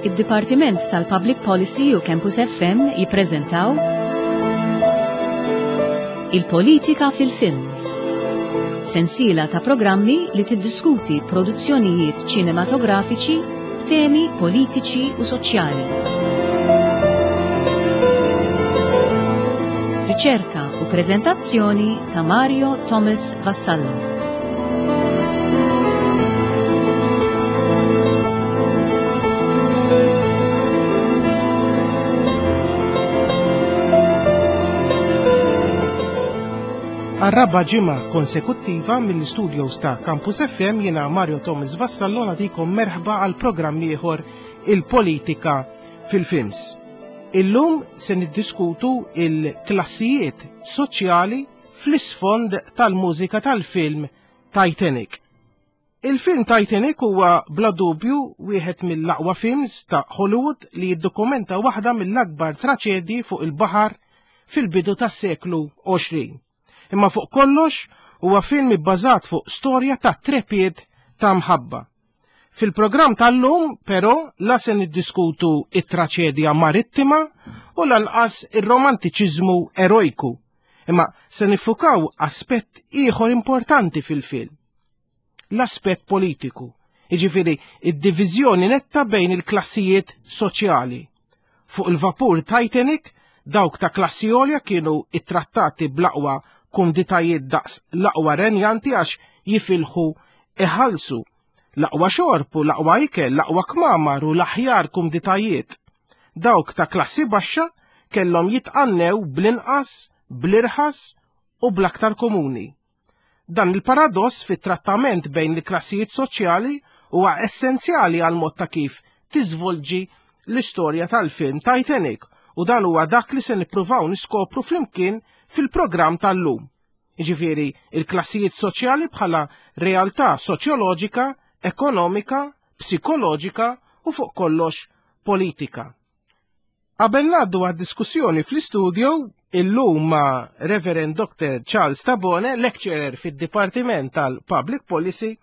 Id-Dipartiment tal-Public Policy u Campus FM jippreżentaw Il-Politika fil-Films. Sensiela ta' programmi li tiddiskuti produzzjonijiet ċinematografiċi b'temi politiċi u soċjali. Riċerka u preżentazzjoni ta' Mario Thomas Vassallo. Għar-raba' ġimgħa konsekuttiva mill-istudios ta' Campus FM jiena Mario Thomas Vassallo nagħtikom merħba għal programm ieħor il-politika fil-films. Illum se niddiskutu il-klassijiet soċjali fl-isfond tal-mużika tal-film Titanic. Il-film Titanic huwa bla dubju wieħed mill-aqwa films ta' Hollywood li jiddokumenta waħda mill-akbar traċedji fuq il-baħar fil-bidu tas-seklu 20. Imma fuq kollox huwa film ibbażat fuq storja ta' trepied ta' mħabba. Fil-programm tal-lum, però, la se niddiskutu it-traċedja marittima u lanqas ir-romantiċiżmu erojku, imma se niffukaw aspett ieħor importanti fil-film. L-aspett politiku, jiġifieri id-diviżjoni netta bejn il-klassijiet soċjali. Fuq il-vapur Titanic, dawk ta' klassi għolja kienu ittrattati bl-aqwa kumditajiet daqs l-aqwa renjanti għax jifilħu iħallsu l-aqwa xorb u l-aqwa ikel, l-aqwa kmamar u l-aħjar kumditajiet. Dawk ta' klassi baxxa kellhom jitqannew bl-inqas, bl-irħas u bl-aktar komuni. Dan il-paradoss fit-trattament bejn il-klassijiet soċjali huwa essenzjali għal mod ta' kif tiżvolġi l-istorja tal-film Titanic u dan huwa dak li se nippruvaw niskopru flimkien fil-programm tal-lum. Jiġifieri il-klassijiet soċjali bħala realtà soċjoloġika, ekonomika, psikoloġika u fuq kollox politika. Qabel ngħaddu għad-diskussjoni fl-istudio, illum ma' Reverend Dr. Charles Tabone, lecturer fid-Dipartiment tal-Public Policy,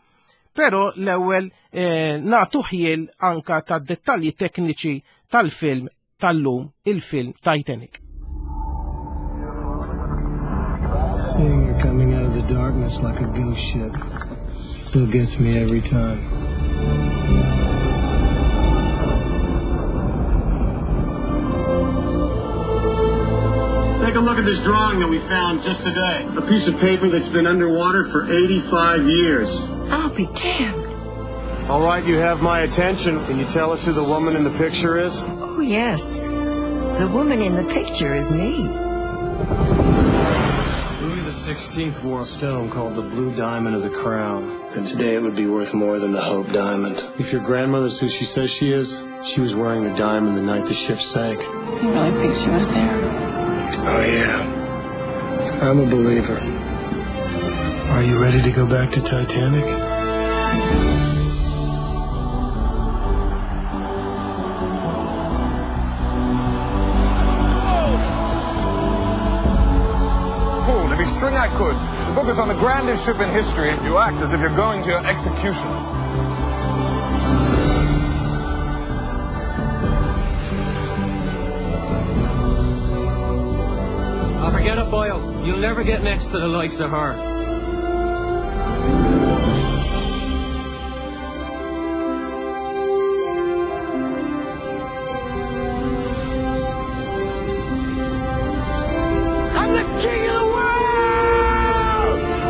però l-ewwel eh, nagħtu ħjiel anka tad-dettalji tekniċi tal-film tal-lum, il-film Titanic. Seeing her coming out of the darkness like a ghost ship still gets me every time. Take a look at this drawing that we found just today. A piece of paper that's been underwater for 85 years. I'll be damned. All right, you have my attention. Can you tell us who the woman in the picture is? Oh, yes. The woman in the picture is me. Louis XVI wore a stone called the Blue Diamond of the Crown. And today it would be worth more than the Hope Diamond. If your grandmother's who she says she is, she was wearing the diamond the night the ship sank. You really think she was there? Oh, yeah. I'm a believer. Are you ready to go back to Titanic? Pulled every string I could. The book is on the grandest ship in history, and you act as if you're going to your execution. Oh, forget it, boyo. You'll never get next to the likes of her. I'm the king of the world!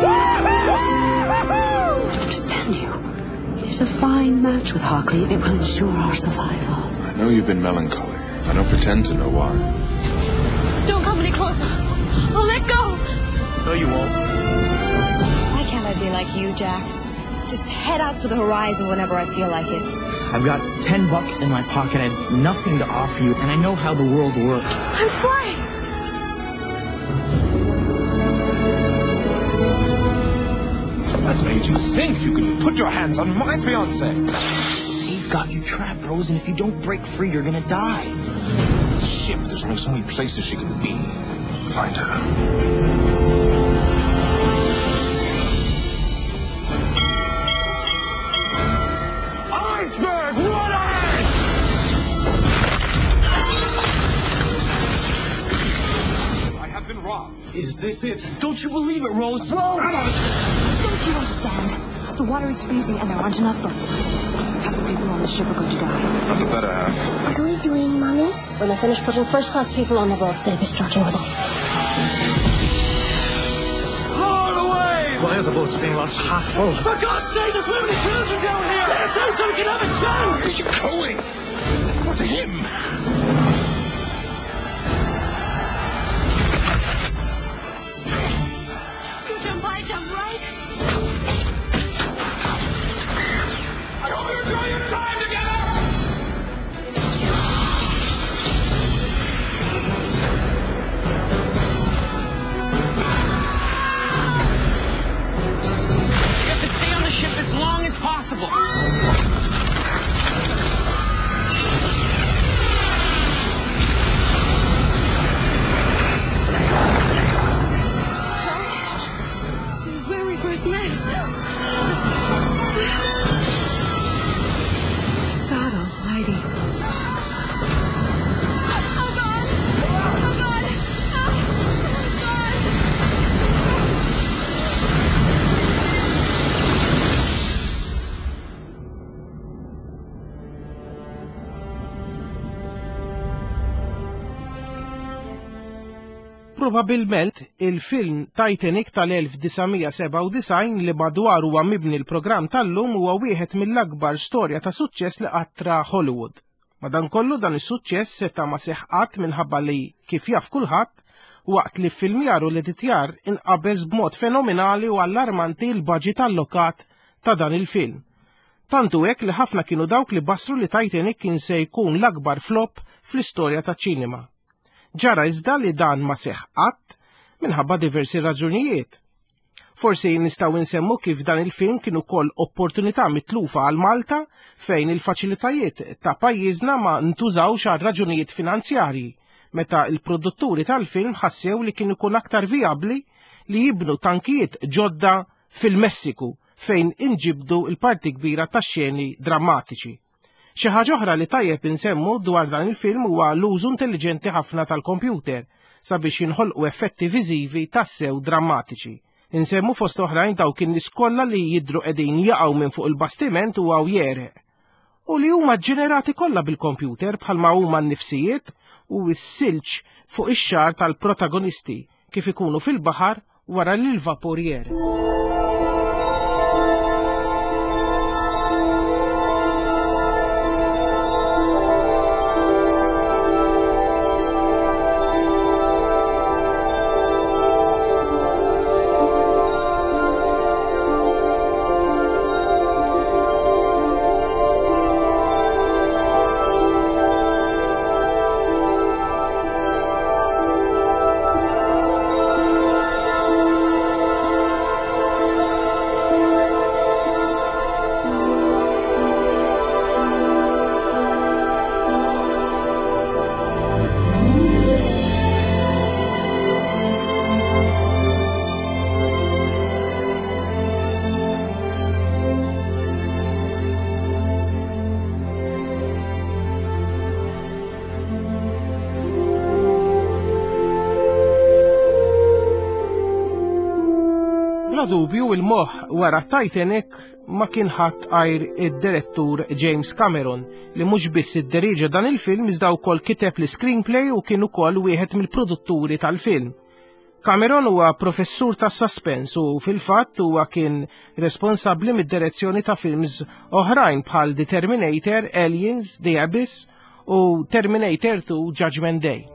I don't understand you. It is a fine match with Harkley. It will ensure our survival. I know you've been melancholy. I don't pretend to know why. Don't come any closer. I'll let go. No, you won't. Why can't I be like you, Jack? Just head out for the horizon whenever I feel like it. I've got 10 bucks in my pocket. I have nothing to offer you, and I know how the world works. I'm flying. What made you think you could put your hands on my fiancée? They've got you trapped, Rose, and if you don't break free, you're gonna die. This ship, there's only so many places she can be. Find her. Iceberg, what ice! this it? Don't you believe it, Rose? Rose! Don't you understand? The water is freezing and there aren't enough boats. Half the people on the ship are going to die. Not the better half. What are we doing, Mommy? When I finish putting first-class people on the boats, they'll be starting with us. Haul away! Why are the boats being launched half full? For God's sake, there's women and children down here! Let us out so we can have a chance! Where are you going? What to him? You jump, I jump, right? I hope you enjoy your time together! We have to stay on the ship as long as possible. This is where we first met. God almighty. Oh, God! Oh, God! Oh, God! Probabilment il-film Titanic tal-1997 li madwar huwa mibni l-programm tal-lum huwa wieħed mill-akbar storja ta' suċċess li qatt ra Hollywood. Madankollu dan is-suċċess seta' ma seħħ qatt minħabba li, kif jaf kulħadd, waqt li ffilmjar u l-editjar inqabeż b'mod fenomenali u allarmanti l-baġit allokat ta' dan il-film. Tant hu hekk li ħafna kienu dawk li bassru li Titanic kien se jkun l-akbar flop fl-istorja taċ-ċinema. Ġara iżda li dan ma seħħ qatt minħabba diversi raġunijiet. Forsi nistgħu nsemmu kif dan il-film kien ukoll opportunità mitlufa għal Malta fejn il-faċilitajiet ta' pajjiżna ma ntużawx għal raġunijiet finanzjarji meta l-produtturi tal-film ħassew li kien ikun aktar vijabbli li jibnu tankijiet ġodda fil-Messiku fejn inġibdu l-parti kbira tax-xeni drammatiċi. Xi ħaġa oħra li tajjeb insemmu dwar dan il-film huwa l-użu intelliġenti ħafna tal-kompjuter sabiex jinħolqu effetti viżivi tassew drammatiċi. Insemmu fost oħrajn dawk in-nies kollha li jidhru qegħdin jaqgħu minn fuq il-bastiment u hawn jegħreq. U li huma ġġenerati kollha bil-kompjuter bħalma huma n-nifsijiet u s-silġ fuq ix-xagħar tal-protagonisti kif ikunu fil-baħar wara li l-vapur jegħreq. Bla dubju il-moħħ wara Titanic ma kien ħadd għajr id-direttur James Cameron li mhux biss idderiġa dan il-film iżda wkoll kiteb l-screenplay u kien ukoll wieħed mill-produtturi tal-film. Cameron huwa professur ta' suspense u fil-fatt huwa kien responsabbli mid-direzzjoni ta' films oħrajn bħal The Terminator, Aliens, The Abyss u Terminator 2 Judgment Day.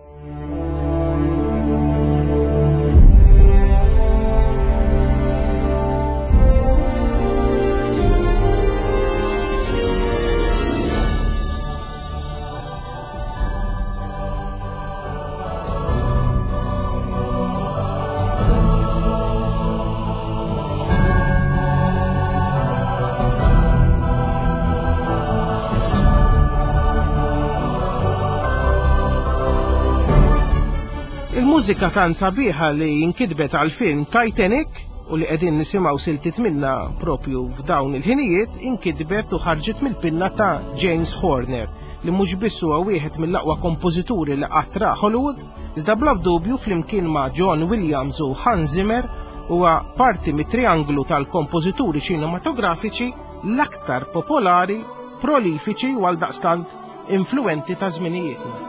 Il-mużika tant sabiħa li inkitbet għal film Titanic u li qegħdin nisimgħu siltiet minnha propju f'dawn il-ħinijiet inkitbet u ħarġet mill-pinna ta' James Horner li mhux biss huwa wieħed mill-aqwa kompożituri li qatt ra Hollywood, iżda bla dubju flimkien ma' John Williams u Hans Zimmer huwa parti mit-trianglu tal-kompożituri ċinematografiċi l-aktar popolari, prolifiċi u għaldaqstant influwenti ta' żminijietna.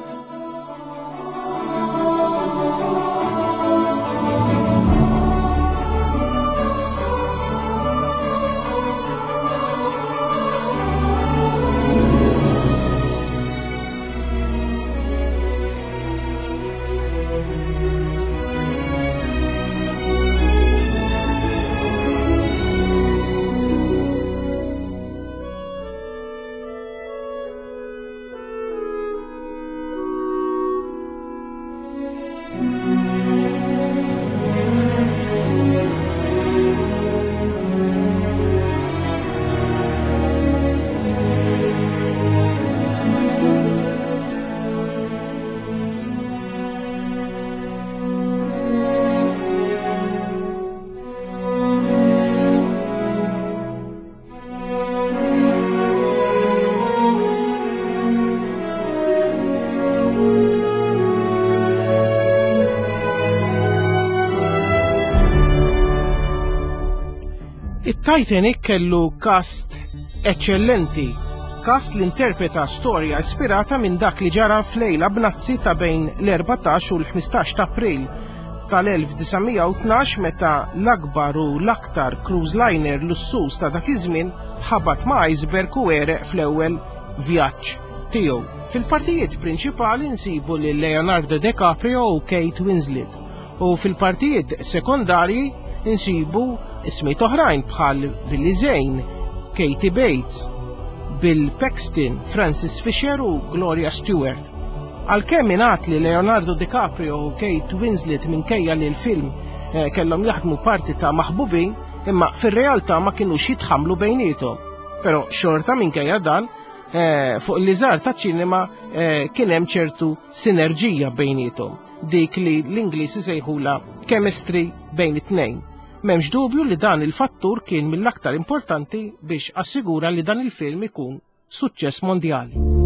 It-Titanic kellu kast eċċellenti, kast li interpreta storja ispirata minn dak li ġara f'lejla b'nazzi ta' bejn l-14 u l-15 ta' April tal-1912 meta l-akbar u l-aktar cruise liner lussuż ta' dak iż-żmien ħabat ma' iceberg u għereq fl-ewwel vjaġġ tiegħu. Fil-partijiet prinċipali nsibu lil Leonardo DiCaprio u Kate Winslet u fil-partijiet sekondarji nsibu ismijiet oħrajn bħal Billy Zane, Katie Bates, Bill Paxton, Francis Fisher u Gloria Stewart. Għalkemm ingħad li Leonardo DiCaprio u Kate Winslet minkejja li l-film eh, kellhom jaħdmu parti ta' maħbubin, imma fir-realtà ma kinux jitħamlu bejniethom. Però xorta minkejja dan, eh, fuq l-iżar ta' ċinema eh, kien hemm ċertu sinerġija bejniethom, dik li l-Ingliż isejħula chemistry bejn it-tnejn. M'hemmx dubju li dan il-fattur kien mill-aktar importanti biex assigura li dan il-film ikun suċċess mondjali.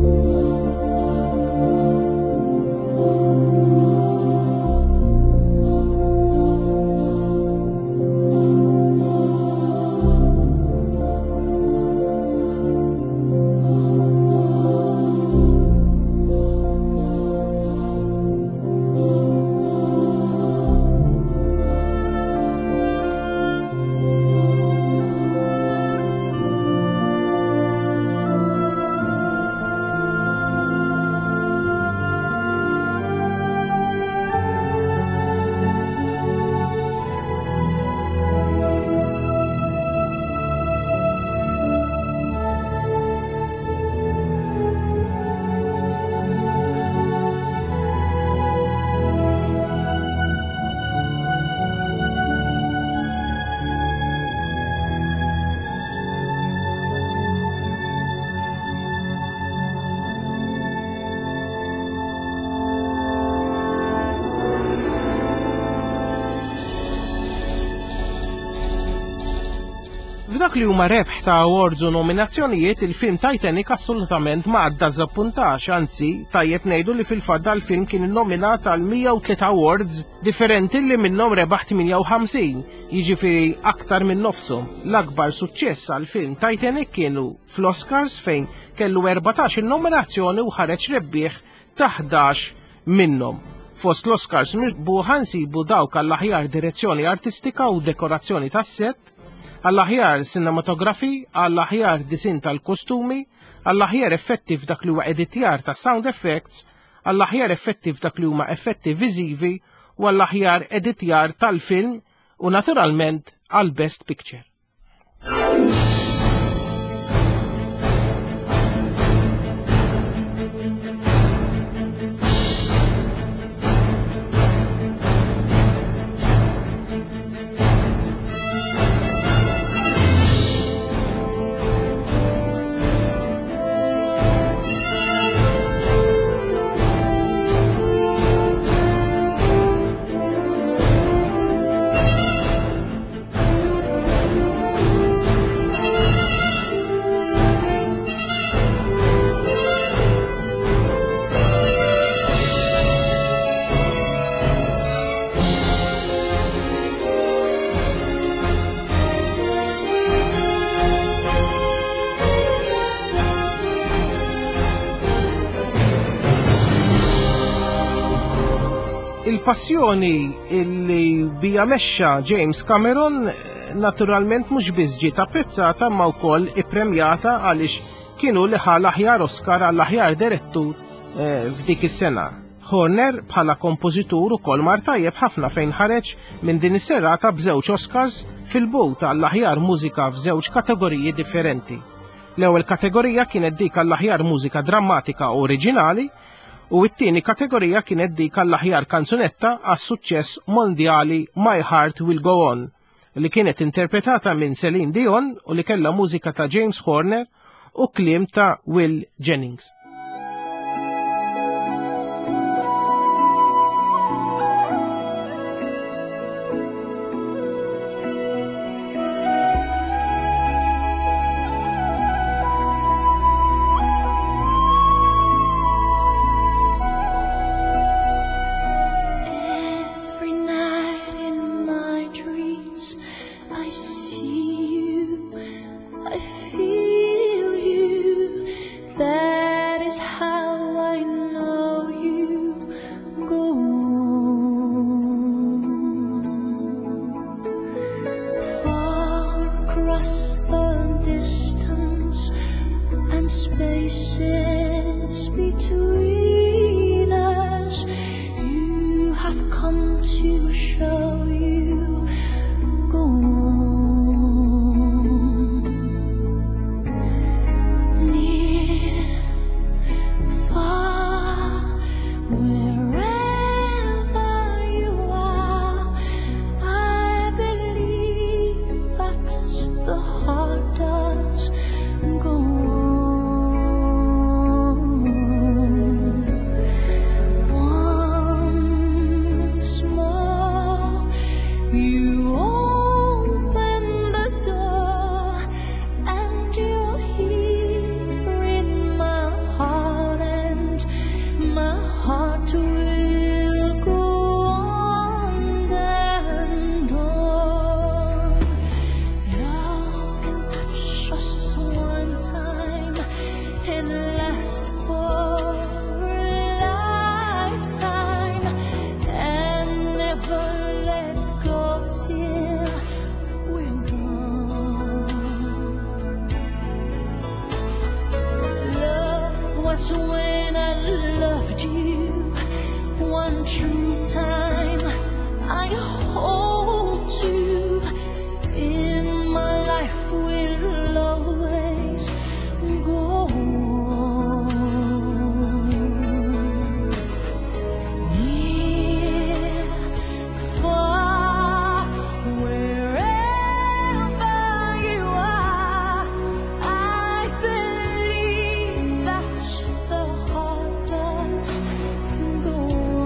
F'dak li huma rebħ ta' awards u nominazzjonijiet, il-film Titanic assolutament ma ddażappuntax, anzi, tajjeb ngħidu li fil-fatt dal-film kien innominat għal 103 awards differenti li minnhom rebaħ 58, jiġifieri aktar minn nofshom. L-akbar suċċess għall-film Titanic kienu fl-Oscars fejn kellu 14 il-nominazzjoni u ħareġ rebbieħ ta' 11 minnhom. Fost l-Oscars mirbuħa nsibu dawk għall-aħjar direzzjoni artistika u dekorazzjoni tas-set, għall-aħjar cinematography, għall-aħjar disin tal-kostumi, għall-aħjar effetti f'dak li huwa editjar ta' sound effects, għall-aħjar effetti f'dak li huma effetti viżivi u għall-aħjar editjar tal-film u naturalment għall Best Picture. Il-passjoni li bija mexxa James Cameron naturalment mhux biss ġiet apprezzata ma wkoll ippremjata għaliex kienu li ħa l-aħjar Oscar għall-aħjar direttur eh, f'dik is-sena. Horner bħala kompożitur ukoll mar tajjeb ħafna fejn ħareġ minn din is-serata b'żewġ Oscars fil-but għall-aħjar mużika f'żewġ kategoriji differenti. L-ewwel kategorija kienet dik għall-aħjar mużika drammatika oriġinali u t-tieni kategorija kienet dik għall-aħjar kanzunetta għas-suċċess mondjali My Heart Will Go On li kienet interpretata minn Celine Dion u li kellha mużika ta' James Horner u kliem ta' Will Jennings. Every night in my dreams I see you, I feel you. That is how I know you go on. Far across the distance and spaces between us, you have come to show you go on. Near, far, wherever you are, I believe that the heart does go on. Once more, you open the door, and you're here in my heart, and my heart will go on and on. Love can touch us one time and last for a lifetime, and never let go till we're gone. Love was when I loved you one true time. I hold to in my life will always go on. Near, far, wherever you are, I believe that the heart does go on.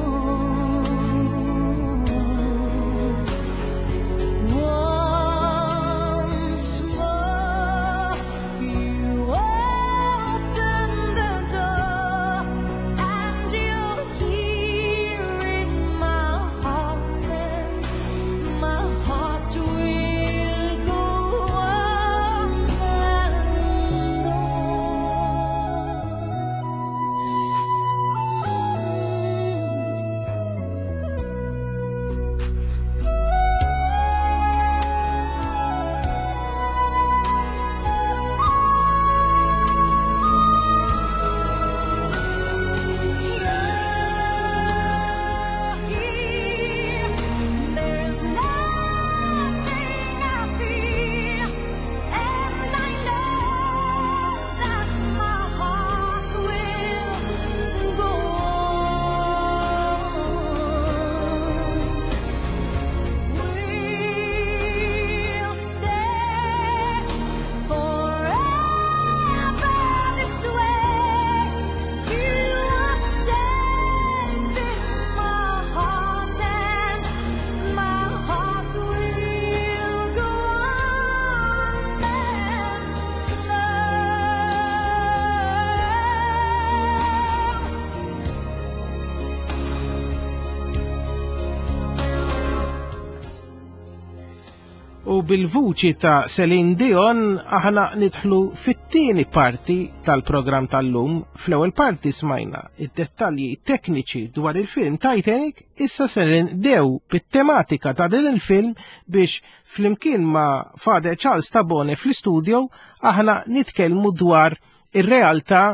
U bil-vuċi ta' Celine Dion aħna nidħlu fit-tieni parti tal-programm tal-lum. Fl-ewwel parti smajna id-dettalji tekniċi dwar il-film Titanic, issa se ndew bit-tematika ta' din il-film biex flimkien ma' Father Charles Tabone fl-istudio aħna nitkellmu dwar ir-realtà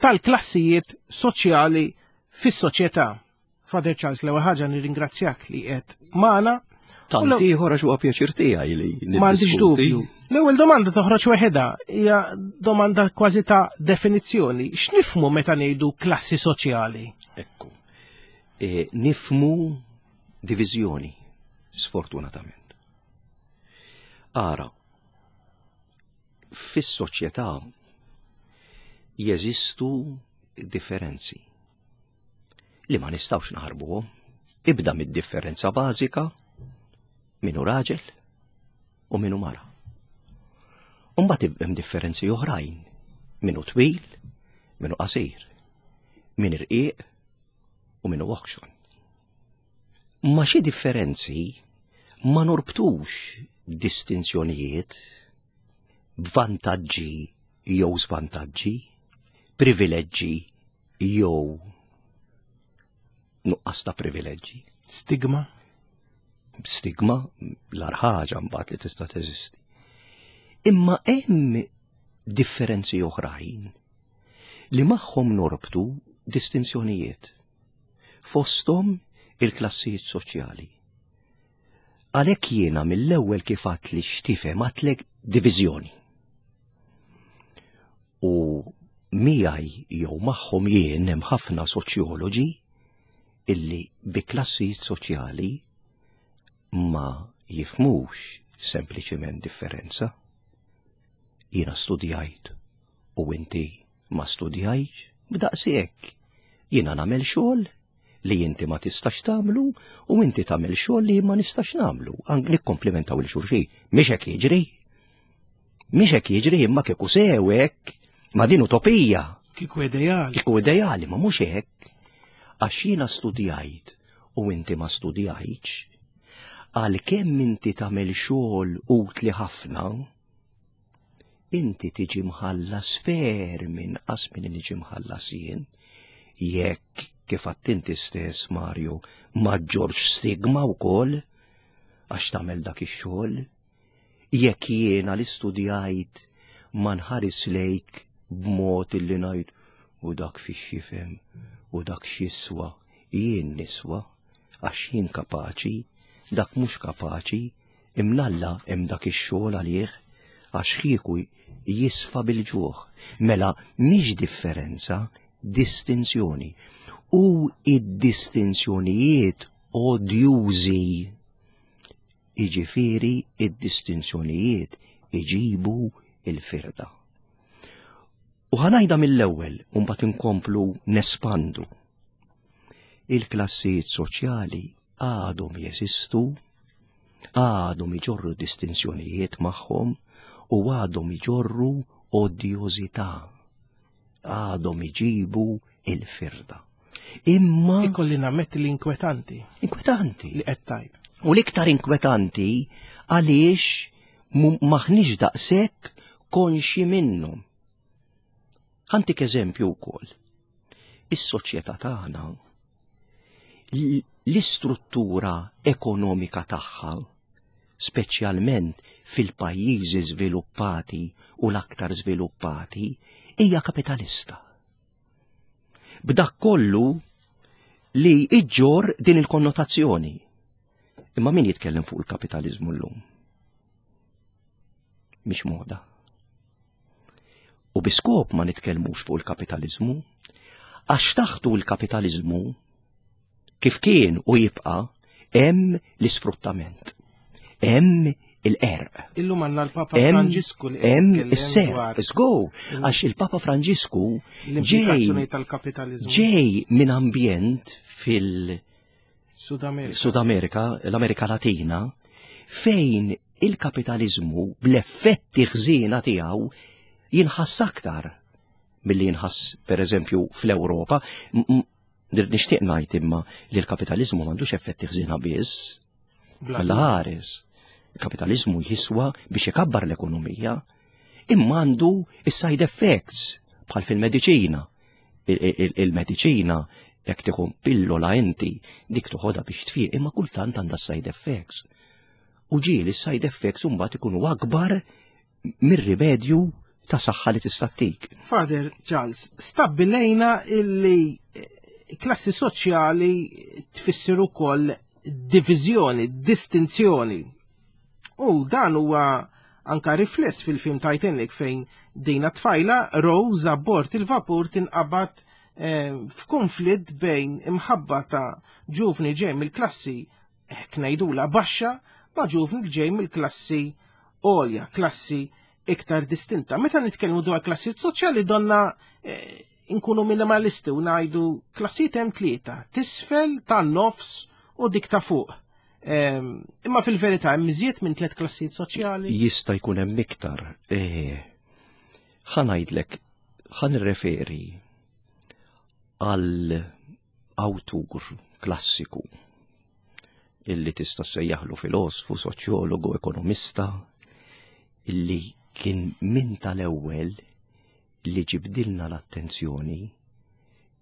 tal-klassijiet soċjali fis-soċjetà. Father Charles, l-ewwel ħaġa nirringrazzjak li qed magħna. Tant ieħor għax huwa pjaċir tiegħi li M'għandix dubju. L-ewwel domanda toħroġ weħedha hija domanda kważi ta' definizzjoni. X'nifmu meta ngħidu klassi soċjali? Ekku. E, nifmu diviżjoni, sfortunatament. Ara, fis-soċjetà jeżistu differenzi li ma nistgħux naħarbuhom. Ibda mid-differenza bażika min hu raġel u min hu mara. Umbagħad hemm differenzi oħrajn min hu twil, min hu qasir, min irqiq u min hu oħxon. Ma xi differenzi ma norbtux distinzjonijiet b'vantaġġi jew żvantaġġi, privileġġi jew nuqqas ta' privileġġi. Stigma? Stigma l-ar ħaġa mbagħad li tista' teżisti. Imma hemm differenzi oħrajn li magħhom norbtu distinzjonijiet. Fosthom il-klassijiet soċjali. Għalhekk jiena mill-ewwel kif għadt li x'tifhem għadtlek diviżjoni. U miegħi jew magħhom jien hemm ħafna soċjoloġi illi bi klassijiet soċjali ma jifmux sempliċiment differenza. Jiena studjajt u inti ma studjajtx, b'daqshekk jiena nagħmel xogħol li inti ma tistax tagħmlu u inti tagħmel xogħol li ma nistax nagħmlu. Nikkomplimentaw il xulxin. Mhix hekk jiġri. Mhix hekk jiġri imma kieku sew hekk ma din utopija. Kieku ideali. Kieku ideali, ma mhux hekk. Għax jiena studjajt u inti ma studjajtx, għalkemm inti tagħmel xogħol utli ħafna, inti tiġi mħallas ferm inqas minn niġi mħallas jien, jekk kif għadt inti stess Mario ma ġġorx stigma wkoll għax tagħmel dak ix-xogħol, jekk jiena li studjajt ma nħares lejk b'mod illi ngħid u dak fiex jifhem u dak x'jiswa, jien niswa għax jien kapaċi, dak mhux kapaċi, Imnalla hemm dak ix-xogħol għalih għax kieku jisfa bil-ġuħ. Mela mhix differenza, distinzjoni. U id-distinzjonijiet odjużi. Iġifieri id-distinzjonijiet iġibu il-firda. U ħanajda mill-ewwel u mbagħad inkomplu nespandu. Il-klassijiet soċjali għadhom jeżistu, għadhom iġorru distinzjonijiet magħhom u għadhom iġorru odjożità, għadhom iġibu il-firda. Imma ikolli nammetti li inkwetanti. Inkwetanti. Li qed tajb. U l-iktar inkwetanti għaliex maħniex daqshekk konxi minnhom. Ħantik eżempju wkoll. Is-soċjetà tagħna l-istruttura ekonomika tagħha, speċjalment fil-pajjiżi żviluppati u l-aktar żviluppati, hija kapitalista. B'dak kollu li iġġor din il-konnotazzjoni. Imma min jitkellem fuq il-kapitalizmu llum? Mhix moda. U bi skop ma nitkellmux fuq il-kapitaliżmu, għax taħtu l-kapitaliżmu kif kien u jibqa' hemm l-isfruttament. Hemm il-qerq. Illum għandna l-Papa Franġisku li hemm is-ser, żgur, għax il-Papa Franġisku ġej tal-kapitaliżmu. Ġej minn ambjent fil- Sud Amerika. Sud Amerika, l-Amerika Latina, fejn il-kapitaliżmu bl-effetti ħżiena tiegħu jinħass aktar milli jinħass pereżempju fl-Ewropa. Nixtieq ngħid imma li l-kapitaliżmu m'għandux effetti ħżiena biss. Alla ħares. Il-kapitaliżmu jiswa biex ikabbar l-ekonomija, imma għandu is-side effects bħal fil-mediċina. Il-mediċina jekk tieħu pillola inti dik toħodha biex tfiq imma kultant għandha side effects. U ġieli side effects imbagħad ikunu akbar mir-rimedju ta' saħħa li tista' ttik. Father Charles, stabbilejna illi eh, klassi soċjali tfisser ukoll diviżjoni, distinzjoni. U dan huwa anka rifless fil-film Titanic fejn dina tfajla Rose abbord il-vapur tinqabad eh, f'konflitt bejn imħabba ta' ġuvni ġej mill-klassi hekk ngħidula baxxa ma' ġuvni li ġej mill-klassi għolja, klassi iktar distinta. Meta nitkellmu dwar klassijiet soċjali donna eh, nkunu minimalisti u ngħidu klassijiet hemm tlieta, tisfel, tan-nofs u dik ta' fuq. Ehm, imma fil-verità hemm iżjed minn tliet klassijiet soċjali. Jista' jkun hemm iktar. Eh, ħa ngħidlek, ħa nirreferi għal awtur klassiku illi tista' sejjaħlu filosfu, soċjologu, ekonomista, illi kien min tal-ewwel li ġibdilna l-attenzjoni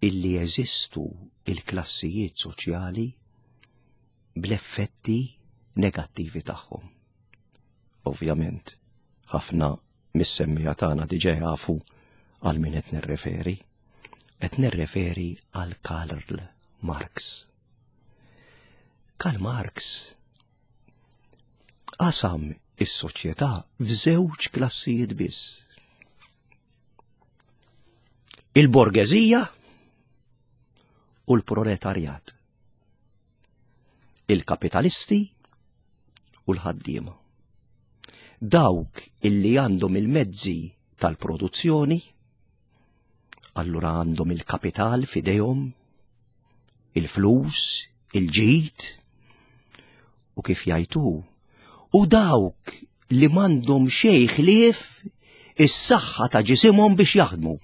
illi jeżistu il-klassijiet soċjali bl-effetti negattivi tagħhom. Ovvjament, ħafna mis-semmija tagħna diġà jafu għal min qed nirreferi. Qed nirreferi għal Karl Marx. Karl Marx qasam is-soċjetà f'żewġ klassijiet biss. Il-borgeżija u l-proletarjat. Il-kapitalisti u l-ħaddiema. Dawk illi għandhom il-mezzi tal-produzzjoni, allura għandhom il-kapital fidejhom, il-flus, il-ġid, u kif jajtu, u dawk li m'għandhom xejn ħlief is-saħħa ta' ġisimhom biex jaħdmu.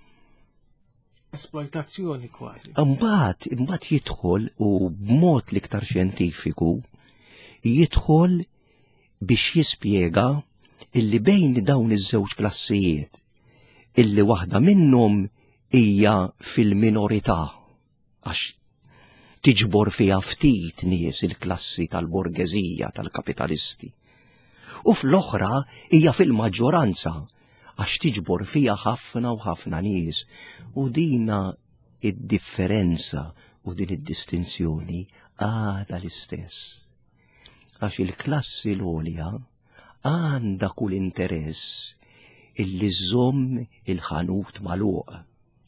Esploitazzjoni kważi. Imbagħad, imbagħad jidħol u b'mod l-iktar xjentifiku jidħol biex jispjega illi bejn dawn iż-żewġ klassijiet illi waħda minnhom hija fil-minorità għax tiġbor fiha ftit nies il-klassi tal-borgeżija tal-kapitalisti. U fl-oħra hija fil-maġġoranza għax tiġbor fiha ħafna u ħafna nies. U dina id-differenza u din id-distinzjoni għadha l-istess. Għax il-klassi l-għolja għandha kull interess illi żżomm il-ħanut magħluq,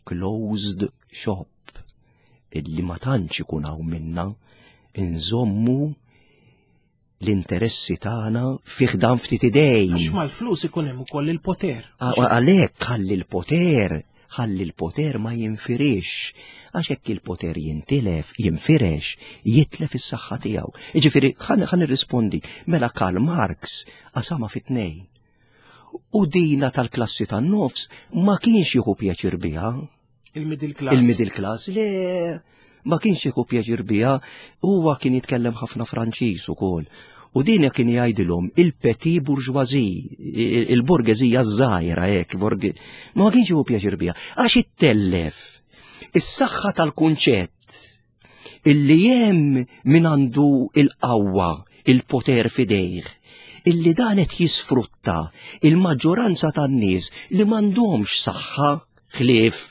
closed shop, illi ma tantx ikun hawn minna inżommu l-interessi tagħna fih dan ftit idejn. Għax mal-flus ikun hemm ukoll il-poter. Għalhekk ħalli l-poter, ħalli l-poter ma jinfirix, għax hekk il-poter jintilef, jinfirex, jitlef is-saħħa tiegħu. Jiġifieri ħa nirrispondi, mela Karl Marx qasama fi tnejn. U dina tal-klassi tan-nofs ma kienx jieħu pjaċir biha. Il-middle class. Il-middle class, le ma kienx jieħu pjaċir biha, huwa kien jitkellem ħafna Franċiż ukoll. U din kien jgħidilhom il-petit bourgeoisie, il-borgeżija żgħira hekk, ma kienx jieħu pjaċir biha, għax ittellef is-saħħa tal-kunċett illi hemm min għandu il-qawwa, il-poter fidejh, illi dan qed jisfrutta il-maġġoranza tan-nies li m'għandhomx saħħa ħlief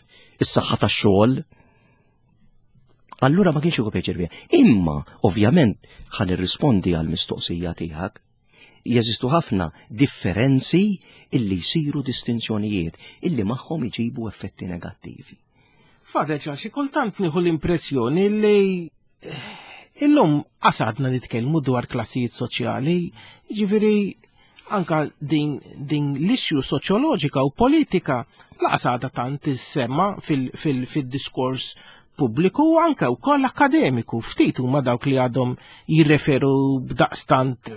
is-saħħa tax-xogħol. Allura ma kienx jieħu pjaċir biha. Imma, ovvjament, ħa nirrispondi għal mistoqsija tiegħek. Jeżistu ħafna differenzi illi jsiru distinzjonijiet illi magħhom iġibu effetti negattivi. Father Charles, xi kultant nieħu l-impressjoni li eh, illum qasadna nitkellmu dwar klassijiet soċjali, ġifieri anka din, din l-issue soċjoloġika u politika laqas għadha tant tissemma fil-diskors pubbliku u anke wkoll akademiku. Ftit huma dawk li għadhom jirreferu b'daqstant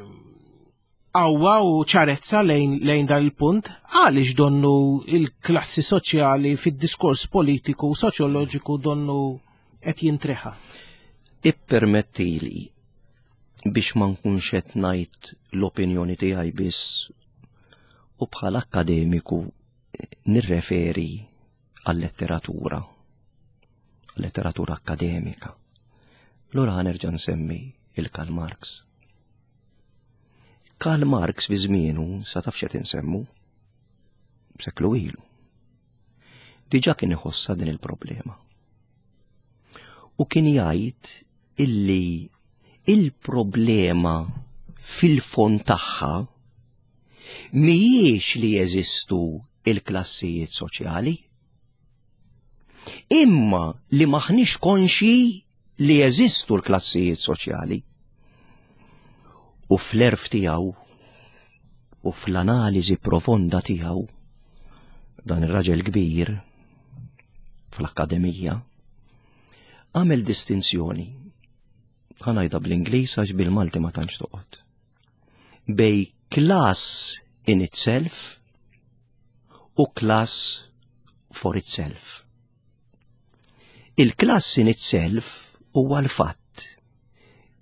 qawwa u ċarezza lejn, lejn dan il-punt, għaliex donnu il-klassi soċjali fid-diskors politiku u soċjoloġiku donnu qed jintreħa. Ippermettili. Biex ma nkunx qed ngħid l-opinjoni tiegħi biss u bħala akkademiku nirreferi għal-letteratura, letteratura akkademika. Lura ħanerġa' nsemmi il-Karl Marx. Karl Marx fi żmienu sa taf x'qed insemmu seklu ilu. Diġà kien iħossha din il-problema. U kien jgħid illi il-problema fil-fond tagħha mhijiex li jeżistu il-klassijiet soċjali, imma li maħniex konxji li jeżistu l-klassijiet soċjali. U fl-erf tiegħu u fl-analiżi profonda tiegħu dan ir-raġel kbir fl-akkademija għamel distinzjoni ħanajda bl-Ingliż għax bil-Malti ma tantx toqgħod. Bej class in itself u class for itself. Il-class in itself huwa l-fatt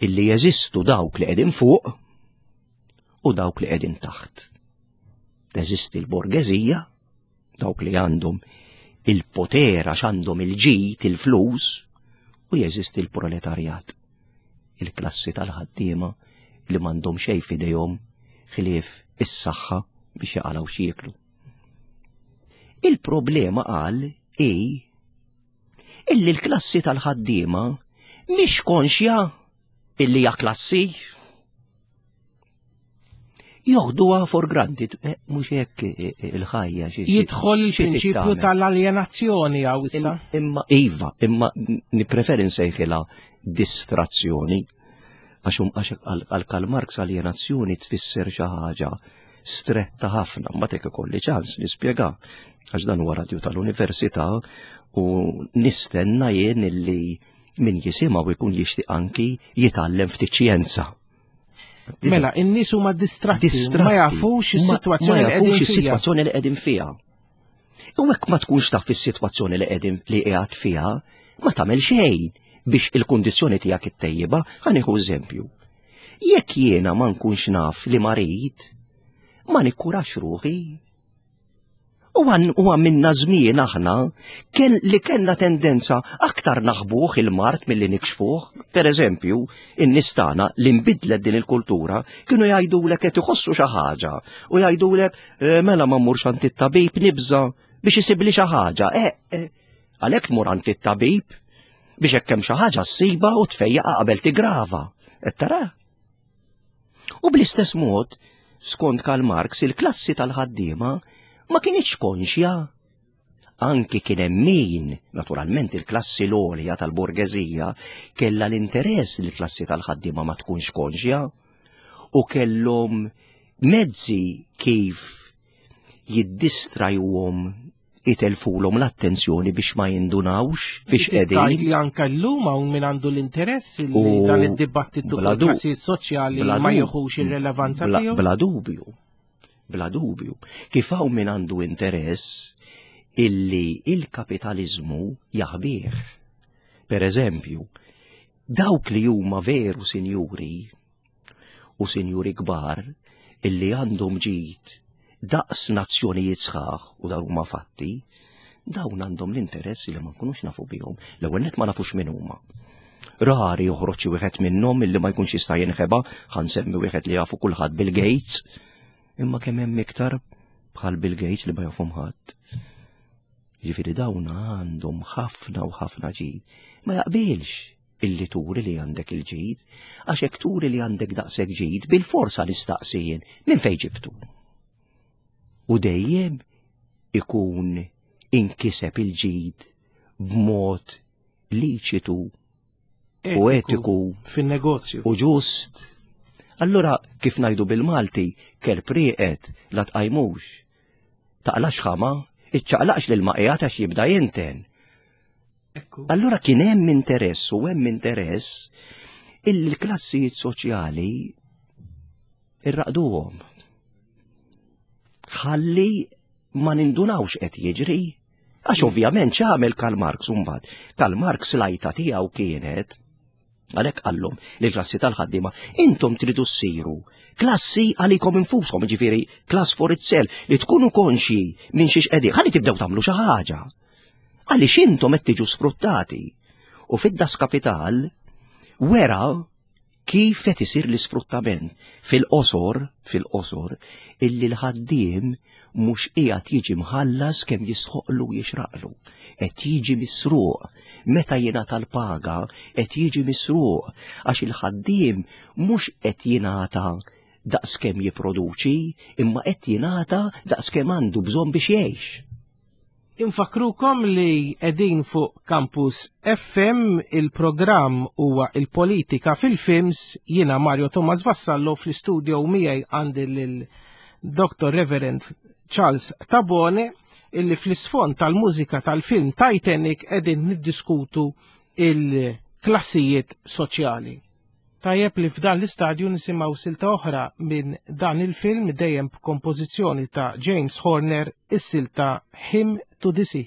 illi jeżistu dawk li qegħdin fuq u dawk li qegħdin taħt. Teżisti l-borgeżija, dawk li għandhom il-poter għax għandhom il-ġid, il-flus, u jeżisti l-proletarjat, il-klassi tal-ħaddiema li m'għandhom xejn f'idejhom ħlief is-saħħa biex jaqalgħu x'jieklu. Il-problema qal hi illi l-klassi tal-ħaddiema mhix konxja illi hija klassi. Joħduha for granted, eh, mhux hekk eh, eh, il-ħajja. Jidħol il-prinċipju tal-aljenazzjoni għaw issa. Imma iva, imma nippreferi nsejħilha distrazzjoni. Għax għal Karl Marx aljenazzjoni tfisser xi ħaġa stretta ħafna, ma tek ikolli ċans nispjega għax dan huwa radju tal-università u nistenna jien illi min jisimgħu jkun jixtieq anki jitgħallem ftit xjenza. Mela, in-nies huma distratti, ma jafux is-sitwazzjoni ma jafux is-sitwazzjoni li qegħdin fiha. U hekk ma tkunx taf is-sitwazzjoni li qegħdin li qiegħed fiha, ma tagħmel xejn biex il-kundizzjoni tiegħek ittejjibha, ħa nieħu eżempju. Jekk jiena ma nkunx naf li marid, ma nikkurax ruħi. U għamilna żmien aħna kien li kellna tendenza aktar naħbuh il-mard milli nikxfuh. Per eżempju, in-nies tagħna li nbidlet din il-kultura kienu jgħidulek qed iħossu xi ħaġa u jgħidulek eh, mela ma mmurx għand it-tabib nibża biex isibli xi ħaġa. Eh, eh, għalhekk tmur għand it-tabib biex hekk hemm xi ħaġa ssiba u tfejjaqa qabel tigrava. Qed tara? U bl-istess mod, skont Karl Marx, il-klassi tal-ħaddiema ma kinitx konxja. Anki kien hemm min, naturalment il-klassi l-għolja tal-borgeżija, kellha l-interess li l-klassi tal-ħaddiema ma tkunx konxja u kellhom mezzi kif jiddistrajuhom itelfulhom l-attenzjoni biex ma jindunawx fiex qegħdin. Tgħid li anke llum hawn min għandu l-interess li dan id-dibattitu fuq il-klassijiet soċjali ma jieħux ir-relevanza tiegħu. Bla dubju. Bla dubju. Kif hawn min għandu interess illi il-kapitaliżmu jaħbih. Per eżempju, dawk li huma veru sinjuri u sinjuri kbar illi għandhom ġid daqs nazzjonijiet sħaħ u dawn huma fatti, dawn għandhom l-interess li ma nkunux nafu bihom. L-ewwel net ma nafux min huma. Rari joħroġ xi wieħed minnhom illi ma jkunx jista' jinħeba, ħa nsemmi wieħed li jafu kulħadd Bill Gates, imma kemm hemm iktar bħal Bill Gates li ma jafhom ħadd. Ġifieri dawn għandhom ħafna u ħafna ġid. Ma jaqbilx illi turi li għandek il-ġid, għax hekk turi li għandek daqshekk ġid, bil-forsa nistaqsi jien minn fejn ġibtu. U dejjem ikun inkiseb il-ġid b'mod liċitu u etiku fin-negozju u ġust. Allura kif ngħidu bil-Malti, kelb rieqed la tqajmux. Taqlax ħama, iċċaqlaqx lil ma qiegħed għax jibda jinten. Allura kien hemm interess u hemm interess illi l-klassijiet soċjali irraqduhom. Ħalli ma nindunawx qed jiġri. Għax ovvjament x'għamel Karl Marx imbagħad. Karl Marx lajta tiegħu kienet. Għalhekk qallhom lill-klassi tal-ħaddiema, intom tridu ssiru klassi għalikom infushom, ġifieri class for itself, li tkunu konxji minn xiex qegħdin, ħalli tibdew tagħmlu xi ħaġa. Għaliex intom qed tiġu sfruttati. U fid-Das Kapital wera kif qed isir l-isfruttament fil-qosor, fil-qosor, illi l-ħaddiem mhux qiegħed jiġi mħallas kemm jistħoqlu jixraqlu. Qed jiġi misruq. Meta jingħata l-paga qed jiġi misruq għax il-ħaddiem mhux qed jingħata daqskemm jipproduċi, imma qed jingħata daqskemm għandu bżonn biex jgħix. Infakkrukom li qegħdin fuq Campus FM, il-programm huwa il-politika fil-films, jiena Mario Thomas Vassallo fl-istudio miegħi għandi lil Dr. Reverend Charles Tabone illi fl-isfond tal-mużika tal-film Titanic qegħdin niddiskutu il-klassijiet soċjali. Tajjeb li f'dan l-istadju nisimgħu silta oħra minn dan il-film dejjem b'kompożizzjoni ta' James Horner is-silta Hymn to the Sea.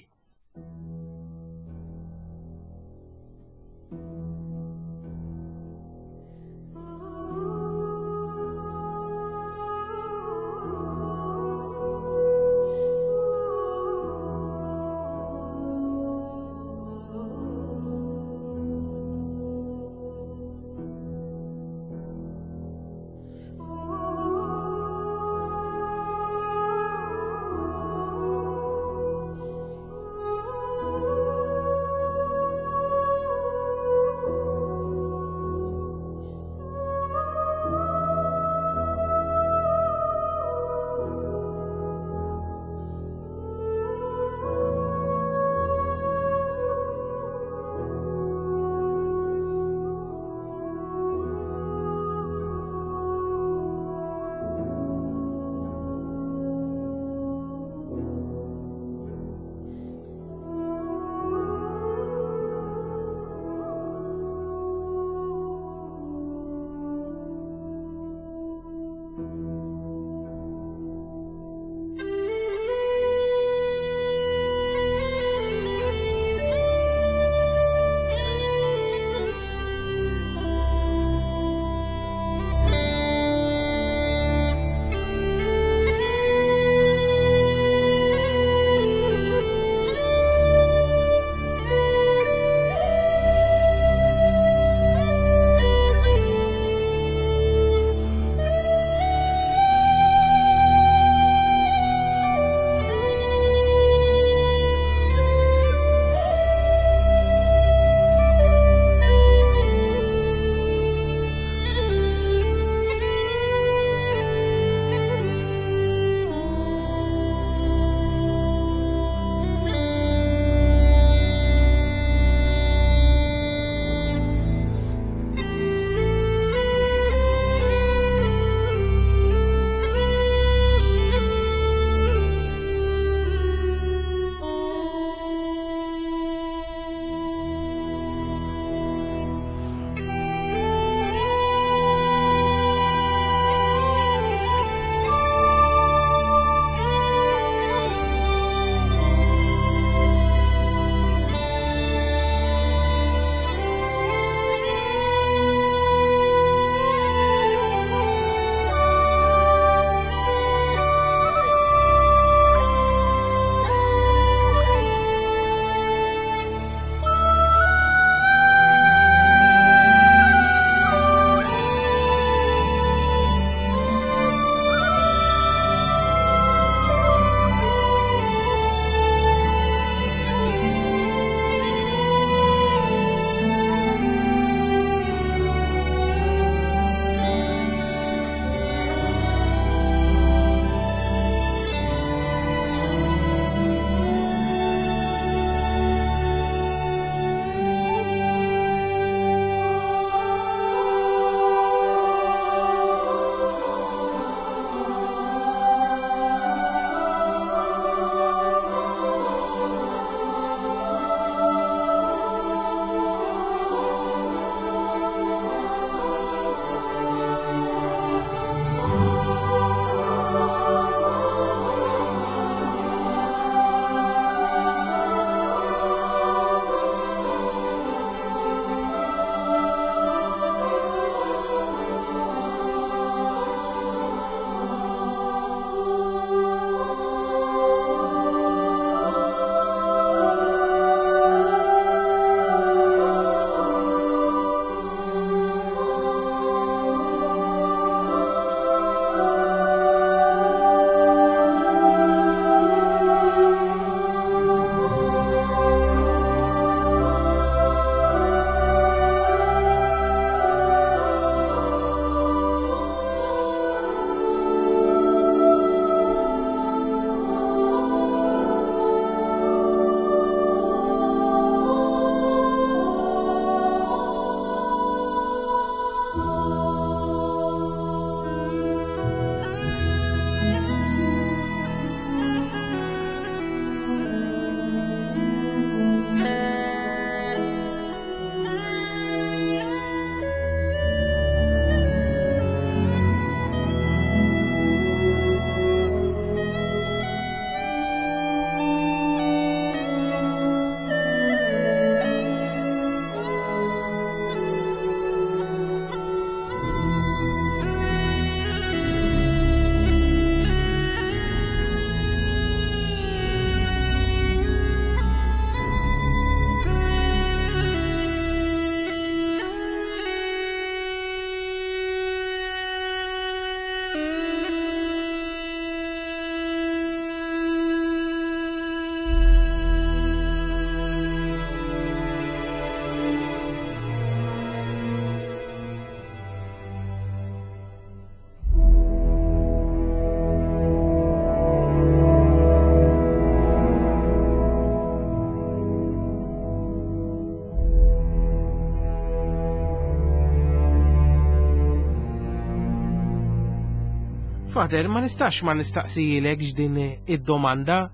Fader, ma nistax ma nistaqsijilek din id-domanda.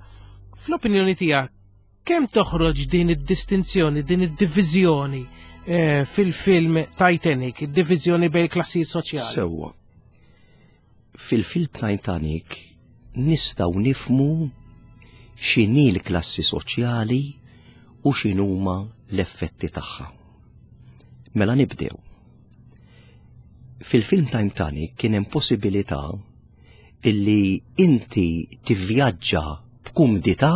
Fl-opinjoni tiegħek, kemm toħroġ din id-distinzjoni, din id-diviżjoni eh, fil-film Titanic, id-diviżjoni bejn klassijiet soċjali? Sewwa. Fil-film Titanic nistgħu nifmu x'inhi l-klassi soċjali u x'inhuma l-effetti tagħha. Mela nibdew. Fil-film Titanic kien hemm possibilità illi inti tivvjaġġa b'kumdità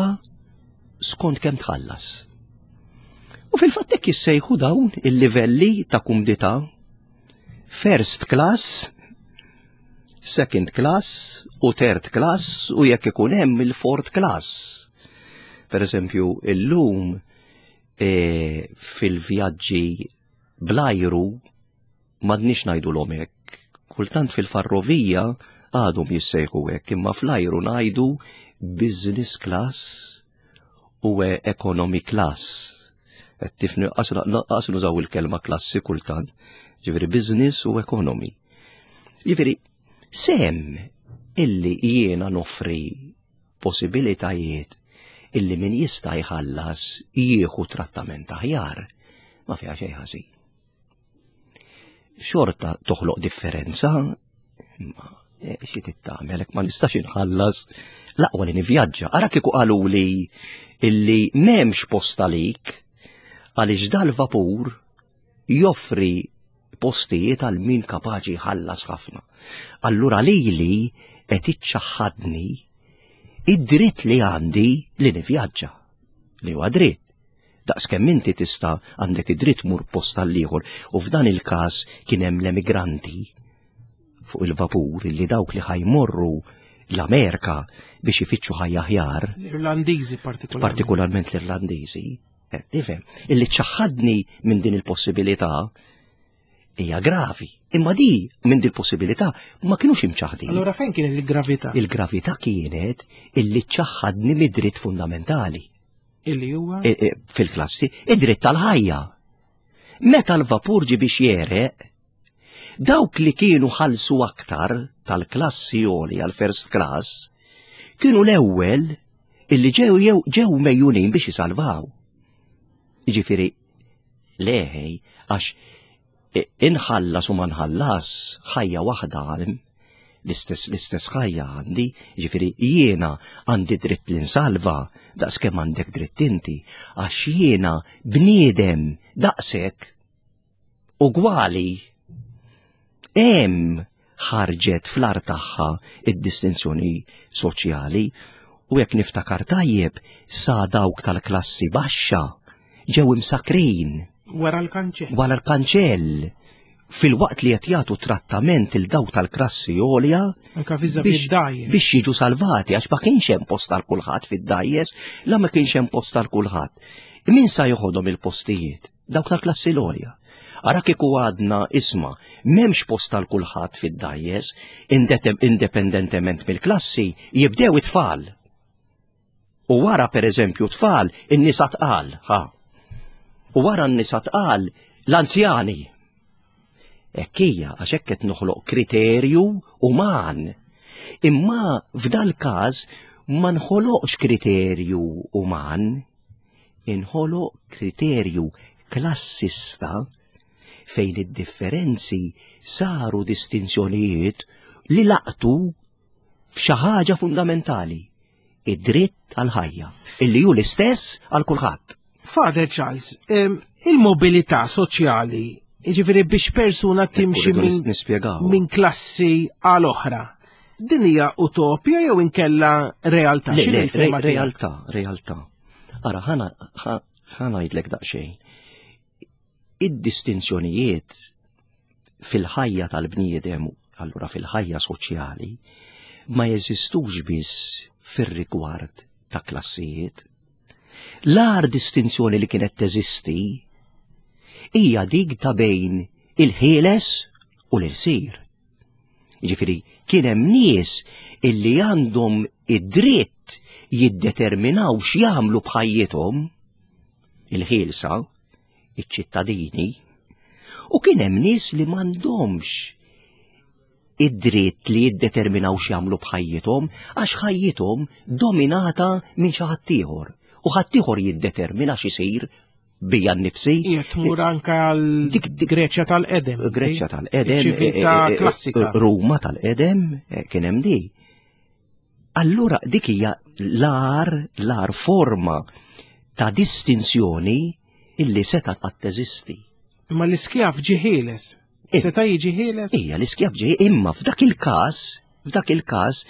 skont kemm tħallas. U fil-fatt hekk jissejħu dawn il-livelli ta' kumdità first class, second class u third class u jekk ikun hemm il-fourth class. Per eżempju, illum e, fil-vjaġġi blajru m'għadniex ngħidulhom hekk. Kultant fil-farrovija għadhom jissejħu hekk, imma fl-ajru ngħidu business class u economy class. Qed tifni qas nużaw il-kelma klassi kultant, ġifieri business u economy. Ġifieri sem illi jiena noffri possibilitajiet illi min jista' jħallas jieħu trattament aħjar, ma fiha xejn ħażin. Xorta toħloq differenza, imma eh, xi tittamel ma nistax inħallas l-aqwa li nivvjaġġa. Ara kieku qaluli illi m'hemmx post għalik għaliex dal-vapur joffri postijiet għal min kapaċi jħallas ħafna. Allura lili qed iċċaħħadni id-dritt li għandi li nivvjaġġa. Li huwa dritt. Daqs kemm inti tista' għandek id-dritt mur post għall-ieħor u f'dan il-każ kien hemm l-emigranti fuq il-vapur li dawk li ħajmorru l-Amerika biex ifittxu ħajja aħjar. L-Irlandiżi partikolarment. Partikolarment l-Irlandiżi. Eh, tifhem, illi ċaħħadni minn din il-possibilità hija gravi. Imma di minn din possibilità ma kienux imċaħdin. Allora fejn kienet il-gravità? Il-gravità kienet illi ċaħħadni mid-dritt fundamentali. Illi huwa? E, e, fil-klassi, id-dritt tal-ħajja. Meta l-vapur ġi biex jereq, dawk li kienu ħalsu aktar tal-klassi għoli għal-first class, kienu l-ewwel illi ġew ġew mejjunin biex jisalvaw. Jiġifieri leħej għax inħallas u ma nħallas ħajja waħda għalim, l-istess l-istess ħajja għandi, ġifieri jiena għandi dritt li nsalva daqs kemm għandek dritt inti, għax jiena bniedem daqshekk ugwali. Hemm ħarġet fl-ar tagħha id-distinzjoni soċjali u jekk niftakar tajjeb sa dawk tal-klassi baxxa ġew imsakrin. Wara l-kanċell. Wara l-kanċell. Fil-waqt li qed jagħtu trattament il dawk tal-klassi għolja biex jiġu salvati għax ma kienx hemm post għal kulħadd fid-dajjes, la ma kienx hemm post għal kulħadd. Min sa joħodhom il-postijiet? Dawk tal-klassi l-għolja. Ara kieku għadna isma, m'hemmx post għal kulħadd fid-dajjes, indipendentement mill-klassi, jibdew it-tfal. U wara per eżempju tfal in-nisa tqal, ha. U wara n-nisa tqal l-anzjani. Hekk hija għax hekk qed noħloq kriterju uman. Imma f'dal każ ma nħoloqx kriterju uman, inħoloq kriterju klassista fejn id-differenzi saru distinzjonijiet li laqtu f'xi ħaġa fundamentali, id-dritt għall-ħajja, illi hu l-istess għal kulħadd. Father Charles, il-mobilità soċjali, jiġifieri biex persuna timxi minn klassi għal oħra, din hija utopja jew inkella realtà? Le, realtà, realtà. Ara, ħana ngħidlek daqsxejn. Id-distinzjonijiet fil-ħajja tal-bniedem, allura fil-ħajja soċjali, ma jeżistux biss fir-rigward ta' klassijiet. L-agħar distinzjoni li kienet teżisti hija dik ta' bejn il-ħieles u l-irsir. Jiġifieri kien hemm nies illi għandhom id-dritt jiddeterminaw x'jagħmlu b'ħajjithom il-ħielsa iċ-ċittadini, u kien hemm nies li m'għandhomx id-dritt li jiddeterminaw x'jagħmlu b'ħajjithom għax ħajjithom dominata minn xi ħadd ieħor u ħadd ieħor jiddetermina x'isir bija nnifsi. Qiegħed tmur anke għal Greċja tal-qedem. Greċja tal-qedem. Ċiviltà eh, eh, eh, klassika. Ruma tal-qedem kien hemm di. Allura dik hija l-ar l-ar forma ta' distinzjoni illi seta' qatt teżisti. Imma l-iskjav ġie ħieles. Seta' jiġi ħieles? Ija, l-iskjav ġie imma f'dak il-każ, f'dak il-każ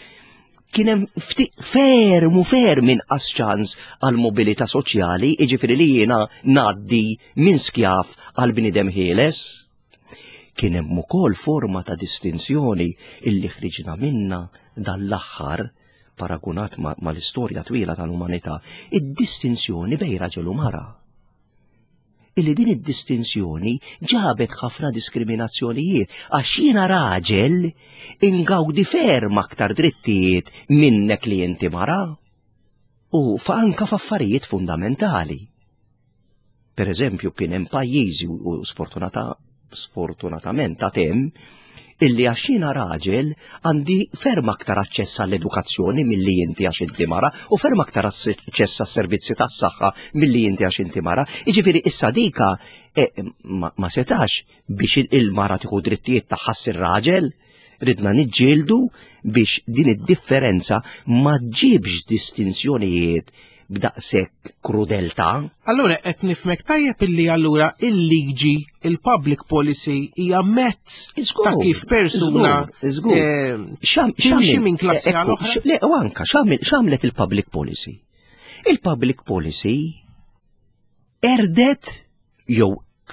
kien hemm ferm u ferm inqas ċans għal mobilità soċjali, jiġifieri li jiena ngħaddi minn skjav għal bniedem ħieles. Kien hemm ukoll forma ta' distinzjoni illi ħriġna minna dan l-aħħar paragunat mal-istorja twila tal-umanità, id-distinzjoni bejn raġel u mara. Illi din id-distinzjoni ġabet ħafna diskriminazzjonijiet għax jiena raġel ingawdi ferm aktar drittijiet minnek li inti mara u fa anka f'affarijiet fundamentali. Per eżempju, kien hemm pajjiżi u sfortunata sfortunatament ta' hemm illi għax jiena raġel għandi ferm aktar aċċess għall-edukazzjoni milli inti għax inti mara u ferm aktar aċċess għas-servizzi tas-saħħa milli inti għax inti mara. Jiġifieri issa dika eh, ma, ma setax biex il-mara tieħu drittijiet tagħha ssir raġel. Ridna niġġieldu biex din id-differenza ma ġibx distinzjonijiet b'daqshekk krudeltà. Allura qed nifhmek tajjeb illi allura il-liġi, il-public policy hija mezz ta' kif persuna eh, timxi minn klassi għal oħra. Le, u anka x'għamlet il-public policy? Il-public policy erdet jew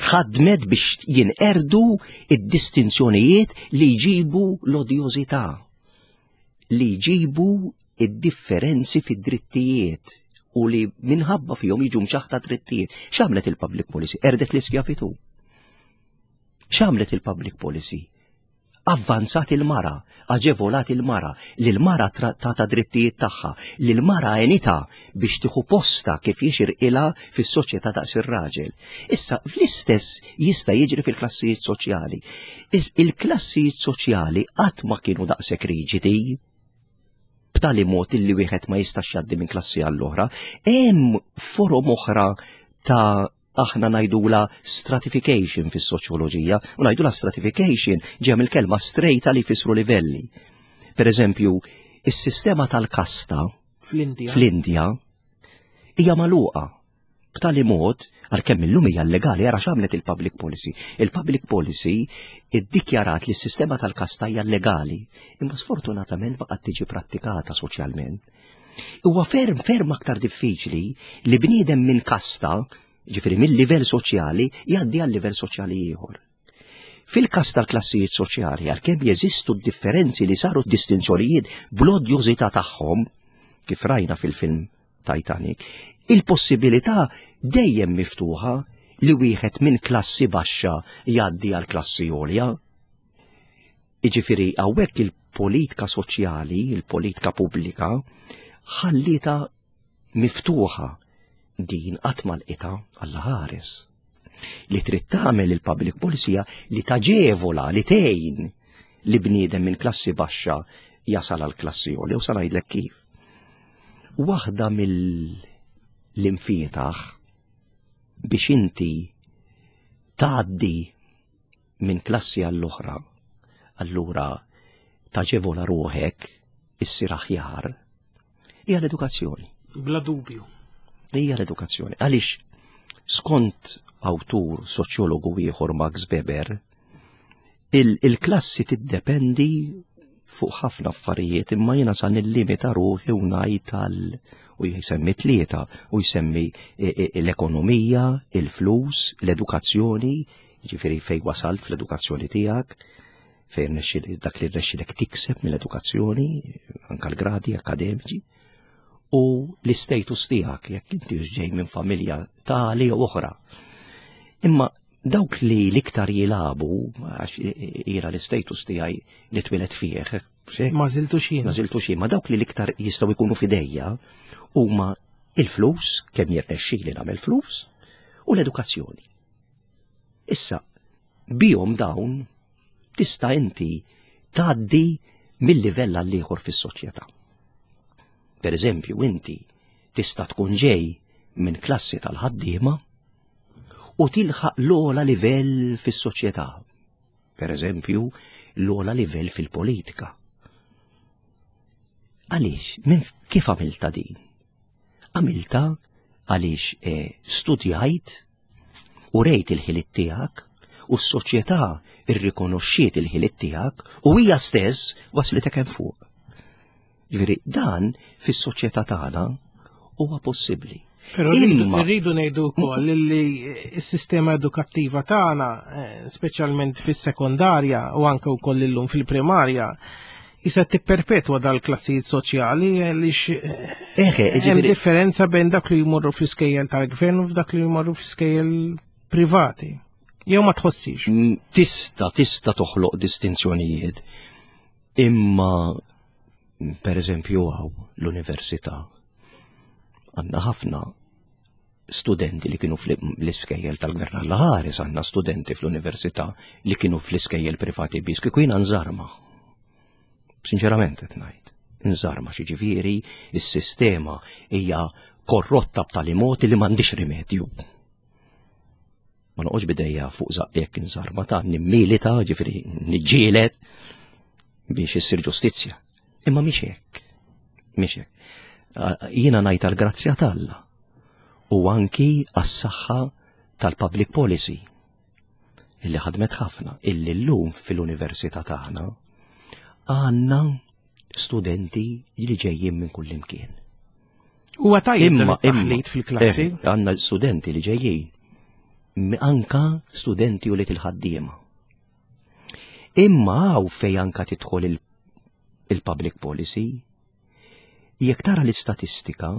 ħadmet biex jinqerdu id-distinzjonijiet li jġibu l-odjożità, li jġibu id-differenzi fid-drittijiet u li minħabba fihom jiġu mċaħta drittijiet. X'għamlet il-public policy? Erdet l-iskjavitu. X'għamlet il-public policy? Avvanzat il-mara, aġevolat il-mara, li l-mara tata drittijiet tagħha, li l-mara għenitha biex tieħu postha kif jixirqilha fis-soċjetà daqs ir-raġel. Issa, fl-istess jista' jiġri fil-klassijiet soċjali. Il-klassijiet soċjali qatt ma kienu daqshekk riġidi b'tali mod illi wieħed ma jistax jgħaddi minn klassi għall-oħra. Hemm forom oħra ta' aħna ngħidula stratification fis-soċjoloġija, u ngħidula stratification ġew mill-kelma strejta li jfissru livelli. Per eżempju, is-sistema tal-kasta fl-Indja hija magħluqa b'tali mod għalkemm illum hija llegali ara x'għamlet il-public policy. Il-public policy iddikjarat li s-sistema tal-kasta hija llegali, imma sfortunatament baqgħet tiġi prattikata soċjalment. Huwa ferm ferm aktar diffiċli li bniedem minn kasta, ġifieri mill-livell soċjali, jgħaddi għal livell soċjali ieħor. Fil-każ tal-klassijiet soċjali, għalkemm jeżistu differenzi li saru distinzjonijiet bl-odjużità tagħhom, kif rajna fil-film Titanic, il-possibilità dejjem miftuħa li wieħed minn klassi baxxa jgħaddi għal klassi għolja. Jiġifieri hawnhekk il-politika soċjali, il-politika pubblika, ħallietha miftuħa din qatt ma lqitha Alla ħares. Li trid tagħmel il-public policy li taġevola, li tgħin li bniedem minn klassi baxxa jasal għal klassi għolja u sa ngħidlek kif. Waħda mill-imfietaħ biex inti tgħaddi minn klassi għall-oħra, allura taġevola ruħek issir aħjar, hija l-edukazzjoni. Bla dubju. Hija l-edukazzjoni. Għaliex skont awtur soċjologu ieħor Max Weber, il-klassi tiddependi fuq ħafna affarijiet imma jiena sa nillimita ruħi u ngħid għal u jsemmi tlieta u jsemmi e, e, l-ekonomija, il-flus, l-edukazzjoni, Jiġifieri fejn wasalt fl-edukazzjoni tiegħek, fejn dak li rnexxilek tikseb mill-edukazzjoni, anka l-gradi akademiċi, u l-istatus tiegħek jekk inti ġej minn familja tali jew oħra. Imma dawk li l-iktar jilabu, għax jiena l-istatus tiegħi li twilet fih, Ma żiltu xejn. Ma żiltu xejn, ma dawk li l-iktar jistgħu jkunu fidejja huma il-flus, kemm jirnexxili nagħmel flus, u l-edukazzjoni. Issa, bihom dawn tista' inti tgħaddi mill-livell għal ieħor fis-soċjetà. Per eżempju, inti tista' tkun ġej minn klassi tal-ħaddiema u tilħaq l-ogħla livell fis-soċjetà. Per eżempju, l-ogħla livell fil-politika. Għaliex, minn kif għamilta din? Għamilta għaliex eh, studjajt u rejt il-ħiliet tiegħek u s-soċjetà irrikonoxxiet il-ħiliet tiegħek u hija stess waslitek hemm fuq. Ġifieri dan fis-soċjetà tagħna huwa possibbli. Però rridu ngħidu wkoll li s-sistema edukattiva tagħna, eh, speċjalment fis-sekondarja u anke wkoll illum fil-primarja, jisa tipperpetwa dal-klassijiet soċjali għaliex eh, hemm differenza bejn dak li jmorru fl-iskejjel tal-gvern u f'dak li jmorru fl-iskejjel privati. Jew ma tħossix. Mm, tista, tista toħloq distinzjonijiet. Imma per eżempju għaw l-università għandna ħafna studenti li kienu fl-iskejjel tal-gvern għalla ħares għandna studenti fl-università li kienu fl-iskejjel privati biss kieku jiena nżarma. Sinċerament qed ngħid. Nżarma xi ġifieri is-sistema hija korrotta b'tali mod li m'għandix rimedju. Ma noqgħodx bidejja fuq żaqqek inżarma ta' nimmilita, ġifieri niġġieled biex issir ġustizzja. Imma mhix hekk. Mhix hekk. Jiena ngħid għall-grazzja t'Alla u anki għas-saħħa tal-public policy illi ħadmet ħafna illi llum fil-università tagħna għandna studenti li ġejjin minn kull imkien. Huwa tajjeb imma taħlit fil-klassi. Eh, għandna studenti li ġejjin anka studenti u li til-ħaddiema. Imma għaw fej anka tidħol il-public policy, jekk tara l-istatistika,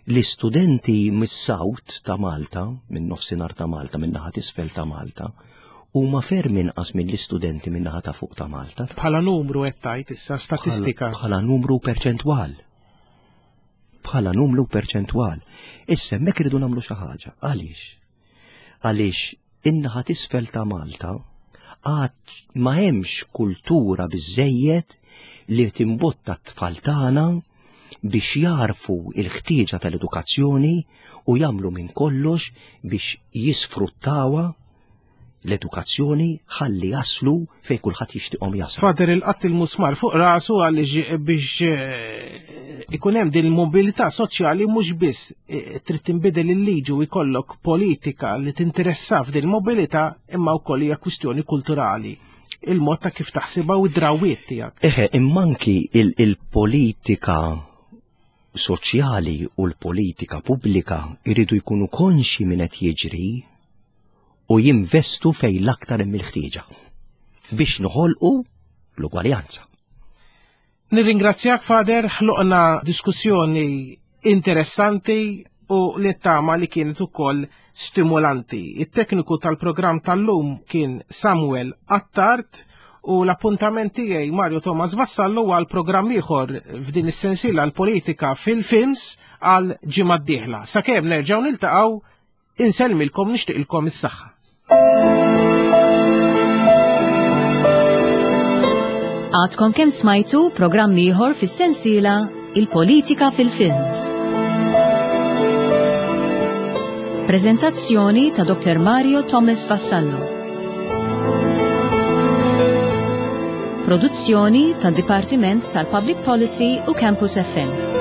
L-istudenti mis-South ta' Malta, minn nofsinhar ta' Malta, minn naħa t'isfel ta' Malta, huma ferm inqas mill-istudenti minn naħa ta' fuq ta' Malta. Bħala numru qed tgħid issa statistika. Bħala numru perċentwal. Bħala numru perċentwal. Issa hemmhekk irridu nagħmlu xi ħaġa. Għaliex? Għaliex in-naħa t'isfel ta' Malta għad ma hemmx kultura biżejjed li timbotta t-tfal tagħna biex jarfu il-ħtieġa tal-edukazzjoni u jagħmlu minn kollox biex jisfruttawha l-edukazzjoni ħalli jaslu fejn kulħadd jixtieqhom jaslu. Fader il-qatt il-musmar fuq rasu għaliex biex eh, ikun hemm din il-mobilità soċjali mhux biss eh, trid tinbidel il-liġi u jkollok politika li tinteressa f'din il-mobilità imma wkoll hija kwistjoni kulturali il-mod ta' kif taħsibha u d-drawiet tiegħek. Eħe, immanki il-politika soċjali u l-politika pubblika jridu jkunu konxi minn qed jiġri u jinvestu fejn l-aktar hemm il-ħtieġa biex noħolqu l-ugwaljanza. Nirringrazzjak Fader, ħloqna diskussjoni interessanti u li tama li kienet ukoll stimolanti. It-tekniku tal-programm tal-lum kien Samuel Attard u l-appuntament tiegħi Mario Thomas Vassallo għal programm ieħor f'din is-sensiela l-politika fil-films għal ġimgħa d-dieħla. Sakemm nerġgħu niltaqgħu insellmilkom nixtieqilkom is-saħħa. Għadkom kemm smajtu programm ieħor fis-sensiela Il-Politika fil-Films. Prezentazzjoni ta' Dr. Mario Thomas Vassallo. Produzzjoni tad Dipartiment tal-Public Policy u Campus FM.